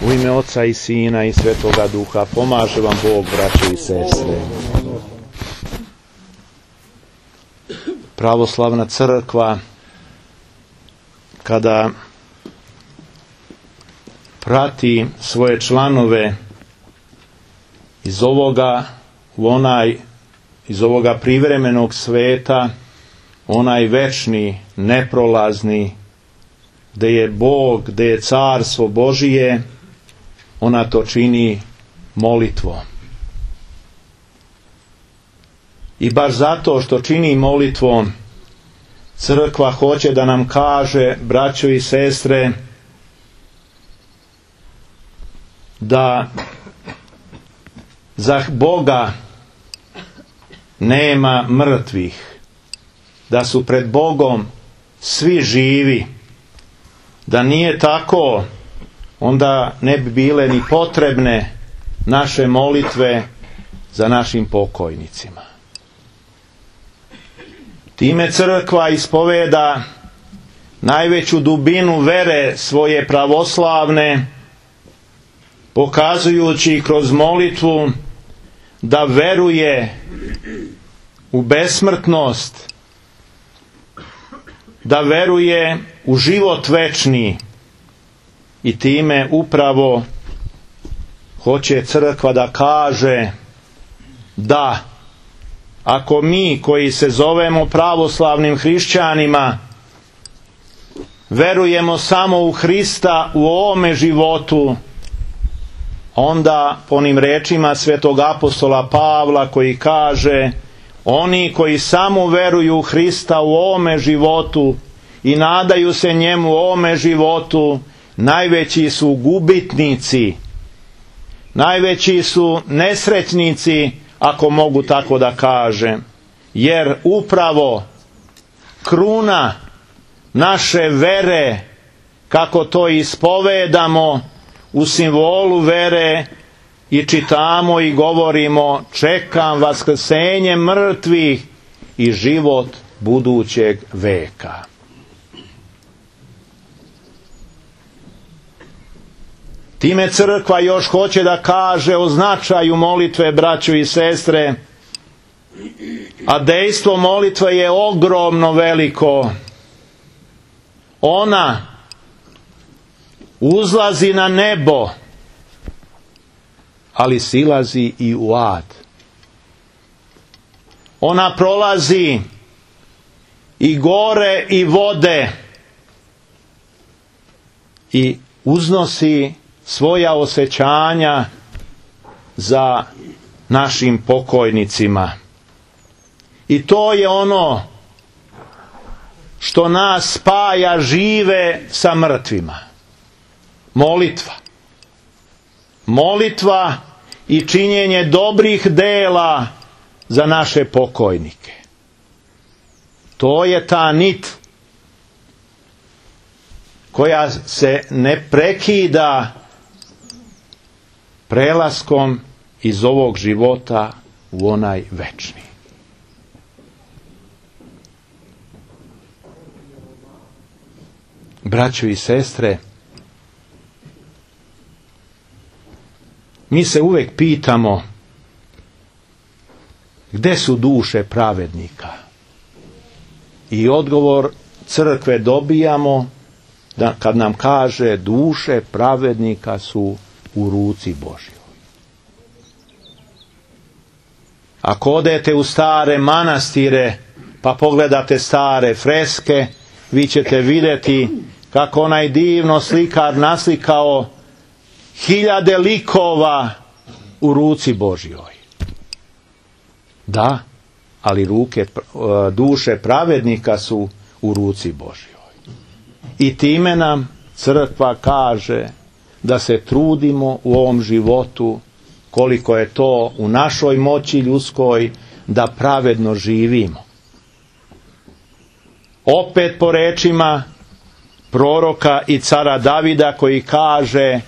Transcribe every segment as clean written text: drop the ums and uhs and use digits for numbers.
U ime Oca i Sina i Svetoga Duha, pomaže vam Bog, braće i sestre. Pravoslavna crkva, kada prati svoje članove iz ovoga u onaj, iz ovoga privremenog sveta, onaj večni, neprolazni, gdje je Bog, gdje je carstvo Božije, ona to čini molitvom. I baš zato što čini molitvom, crkva hoće da nam kaže, braćo i sestre, da za Boga nema mrtvih, da su pred Bogom svi živi. Da nije tako, onda ne bi bile ni potrebne naše molitve za našim pokojnicima. Time crkva ispoveda najveću dubinu vere svoje pravoslavne, pokazujući kroz molitvu da veruje u besmrtnost, da veruje u život večni, i time upravo hoće crkva da kaže da ako mi koji se zovemo pravoslavnim hrišćanima verujemo samo u Hrista u ovome životu, onda po onim rečima svetog apostola Pavla koji kaže: oni koji samo veruju u Hrista u ovome životu i nadaju se njemu u ovome životu, najveći su gubitnici, najveći su nesretnici, ako mogu tako da kažem, jer upravo kruna naše vere, kako to ispovedamo u simbolu vere i čitamo i govorimo, čekam vaskrsenje mrtvih i život budućeg veka. Time crkva još hoće da kaže o značaju molitve, braćo i sestre, a dejstvo molitve je ogromno veliko. Ona uzlazi na nebo, ali silazi i u ad. Ona prolazi i gore i vode i uznosi svoja osjećanja za našim pokojnicima. I to je ono što nas spaja žive sa mrtvima. Molitva. Molitva i činjenje dobrih dela za naše pokojnike. To je ta nit koja se ne prekida prelaskom iz ovog života u onaj večni. Braćo i sestre, mi se uvijek pitamo gdje su duše pravednika? I odgovor crkve dobijamo da kad nam kaže duše pravednika su u ruci Božjoj. Ako odete u stare manastire pa pogledate stare freske, vi ćete vidjeti kako onaj divno slikar naslikao hiljade likova u ruci Božjoj. Da, ali duše pravednika su u ruci Božjoj. I time nam crkva kaže da se trudimo u ovom životu, koliko je to u našoj moći ljudskoj, da pravedno živimo. Opet po rečima proroka i cara Davida koji kaže: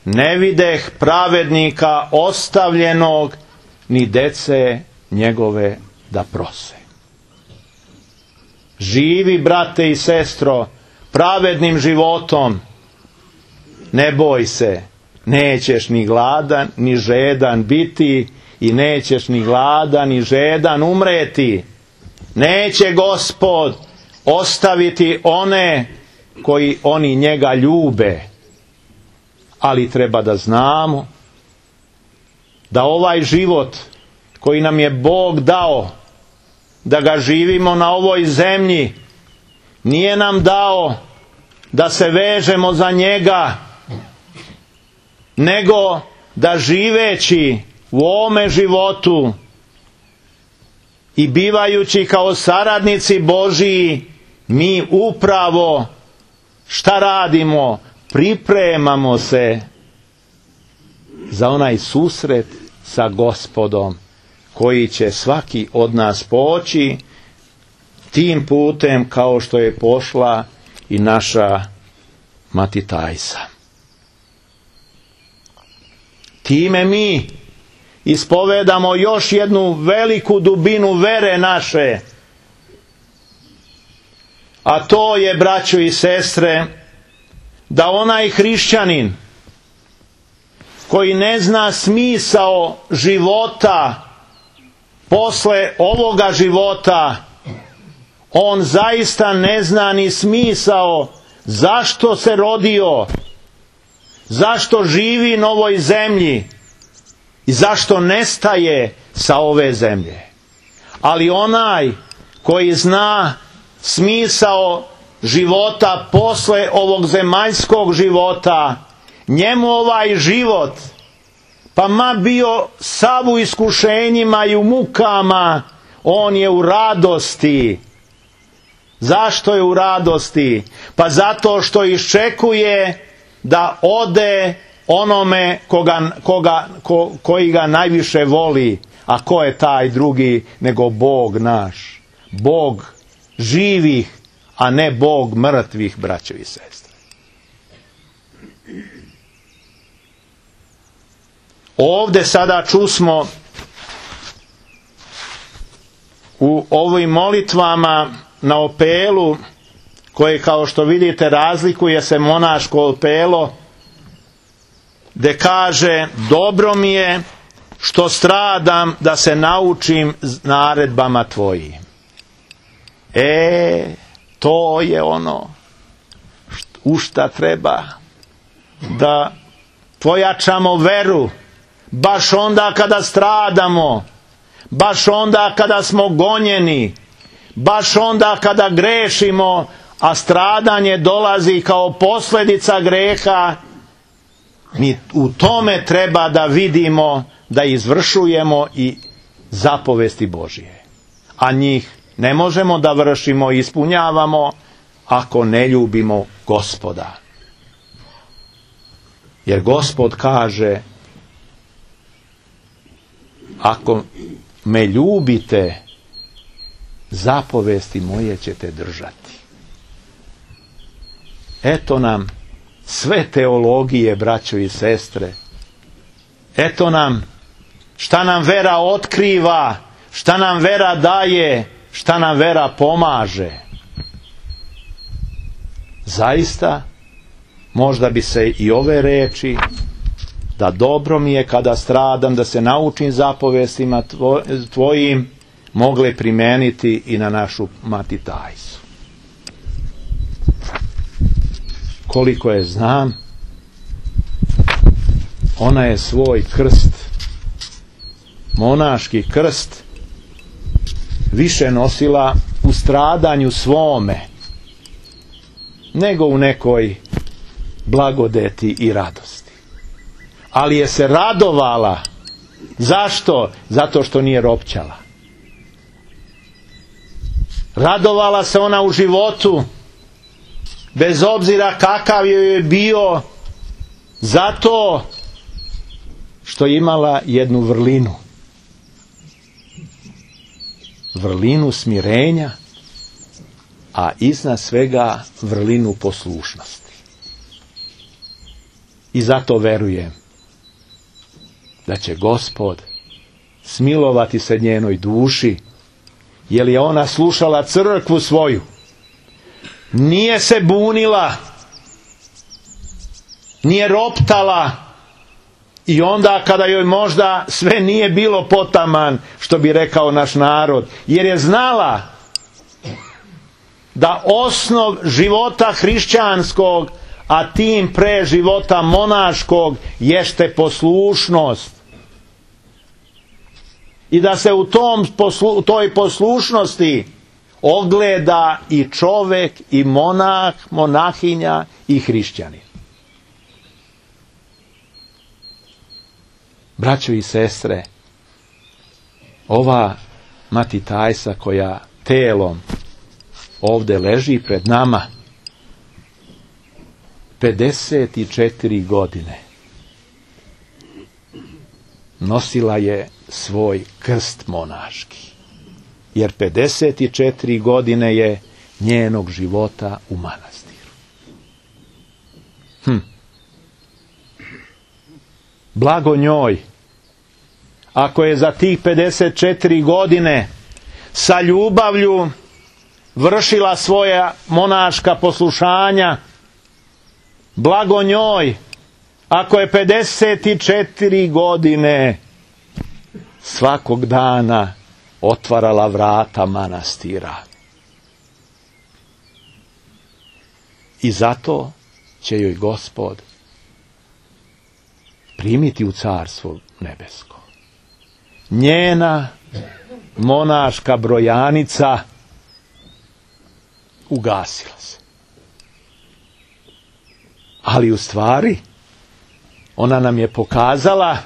ne videh pravednika ostavljenog, ni dece njegove da prose. Živi, brate i sestro, pravednim životom. Ne boj se, nećeš ni gladan ni žedan biti i nećeš ni gladan ni žedan umreti. Neće Gospod ostaviti one koji oni njega ljube. Ali treba da znamo da ovaj život koji nam je Bog dao, da ga živimo na ovoj zemlji, nije nam dao da se vežemo za njega, nego da živeći u ovome životu i bivajući kao saradnici Božiji, mi upravo šta radimo? Pripremamo se za onaj susret sa Gospodom, koji će svaki od nas poći tim putem kao što je pošla i naša Mati Tajsa. Time mi ispovedamo još jednu veliku dubinu vere naše, a to je, braćo i sestre, da onaj hrišćanin koji ne zna smisao života posle ovoga života, on zaista ne zna ni smisao zašto se rodio, zašto živi na ovoj zemlji i zašto nestaje sa ove zemlje. Ali onaj koji zna smisao života posle ovog zemaljskog života, njemu ovaj život, pa ma bio sav u iskušenjima i u mukama, on je u radosti. Zašto je u radosti? Pa zato što iščekuje da ode onome koji ga najviše voli. A ko je taj drugi nego Bog naš? Bog živih, a ne Bog mrtvih, braćo i sestre. Ovde sada čusmo u ovim molitvama na opelu, koje, kao što vidite, razlikuje se monaško opelo, gde kaže: dobro mi je što stradam da se naučim naredbama tvojim. To je ono u šta treba da pojačamo veru, baš onda kada stradamo, baš onda kada smo gonjeni, baš onda kada grešimo, a stradanje dolazi kao posljedica greha. Mi u tome treba da vidimo da izvršujemo i zapovesti Božije, a njih ne možemo da vršimo i ispunjavamo ako ne ljubimo Gospoda. Jer Gospod kaže: ako me ljubite, zapovesti moje ćete držati. Eto nam sve teologije, braćo i sestre. Eto nam šta nam vera otkriva, šta nam vera daje, šta nam vera pomaže. Zaista, možda bi se i ove reči, da dobro mi je kada stradam, da se naučim zapovestima tvojim, mogle primeniti i na našu Mati Tajsu. Koliko je znam, ona je svoj krst, monaški krst, više nosila u stradanju svome nego u nekoj blagodeti i radosti. Ali je se radovala. Zašto? Zato što nije ropćala. Radovala se ona u životu, bez obzira kakav joj je bio, zato što je imala jednu vrlinu. Vrlinu smirenja, a iznad svega vrlinu poslušnosti. I zato verujem da će Gospod smilovati se njenoj duši, jer je ona slušala crkvu svoju. Nije se bunila, nije roptala, I onda kada joj možda sve nije bilo potaman, što bi rekao naš narod, jer je znala da osnov života hrišćanskog, a tim pre života monaškog, jeste poslušnost. I da se u toj poslušnosti ogleda i čovek, i monah, monahinja, i hrišćanin. Braćo i sestre, ova Mati Tajsa koja telom ovde leži pred nama, 54 godine nosila je svoj krst monaški, jer 54 godine je njenog života u manastiru. Blago njoj, ako je za tih 54 godine sa ljubavlju vršila svoja monaška poslušanja. Blago njoj, ako je 54 godine svakog dana otvarala vrata manastira. I zato će joj Gospod primiti u carstvo nebesko. Njena monaška brojanica ugasila se. Ali u stvari ona nam je pokazala,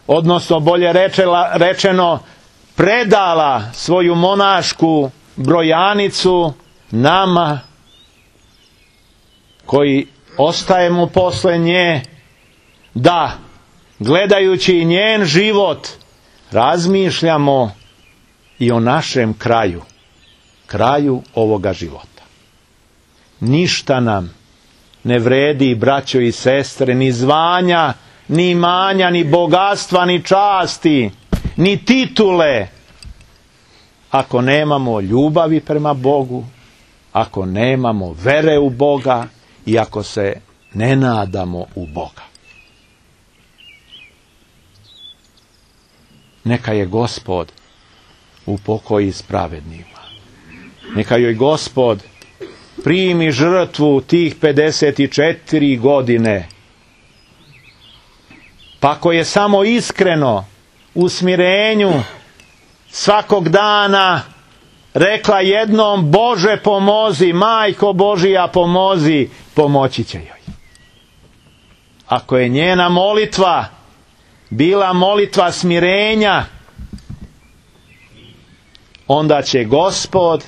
odnosno bolje rečeno, predala svoju monašku brojanicu nama koji ostajemo posle nje, da gledajući njen život razmišljamo i o našem kraju ovoga života. Ništa nam ne vredi, braćo i sestre, ni zvanja, ni imanja, ni bogatstva, ni časti, ni titule, ako nemamo ljubavi prema Bogu, ako nemamo vere u Boga i ako se ne nadamo u Boga. Neka je Gospod upokoji s pravednima. Neka joj Gospod primi žrtvu tih 54 godine. Pa ako je samo iskreno u smirenju svakog dana rekla jednom: Bože pomozi, Majko Božija pomozi, pomoći će joj. Ako je njena molitva bila molitva smirenja, onda će Gospod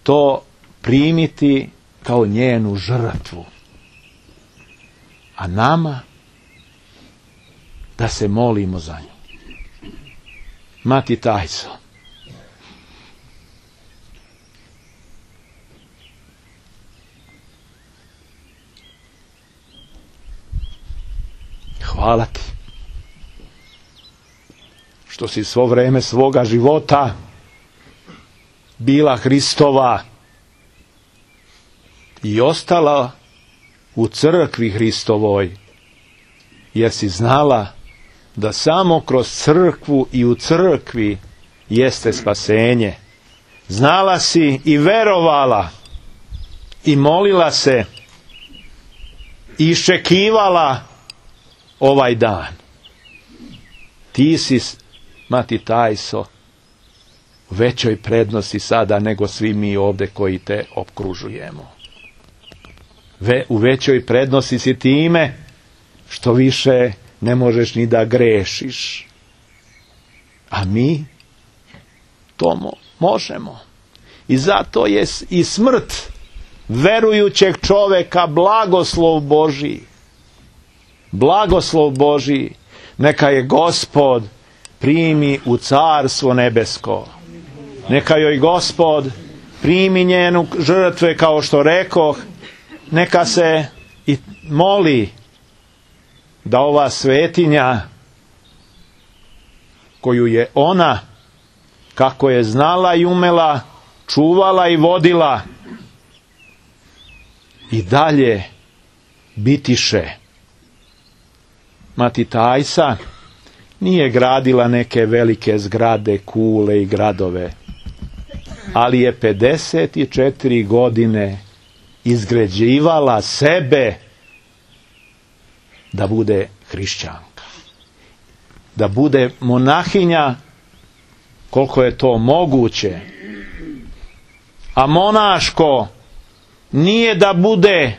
to primiti kao njenu žrtvu. A nama da se molimo za nju. Mati Tajso, hvala ti što si svo vreme svoga života bila Hristova i ostala u crkvi Hristovoj, jer si znala da samo kroz crkvu i u crkvi jeste spasenje. Znala si i verovala i molila se i iščekivala ovaj dan. Ti si, Mati Tajso, u većoj prednosti sada nego svi mi ovde koji te opkružujemo. U većoj prednosti si time što više ne možeš ni da grešiš. A mi to možemo. I zato je i smrt verujućeg čoveka blagoslov Božji. Blagoslov Božji. Neka je Gospod primi u carstvo nebesko. Neka joj Gospod primi njenu žrtve, kao što rekoh. Neka se i moli da ova svetinja koju je ona, kako je znala i umela, čuvala i vodila, i dalje bitiše Mati Tajsa nije gradila neke velike zgrade, kule i gradove, ali je 54 godine izgrađivala sebe da bude hrišćanka, da bude monahinja koliko je to moguće. A monaško nije da bude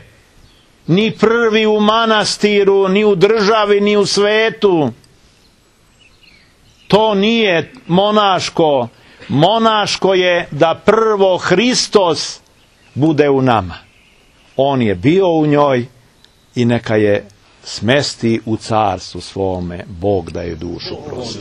ni prvi u manastiru, ni u državi, ni u svetu. To nije monaško. Monaško je da prvo Hristos bude u nama. On je bio u njoj i neka je smesti u carstvu svome. Bog da je dušu prosti.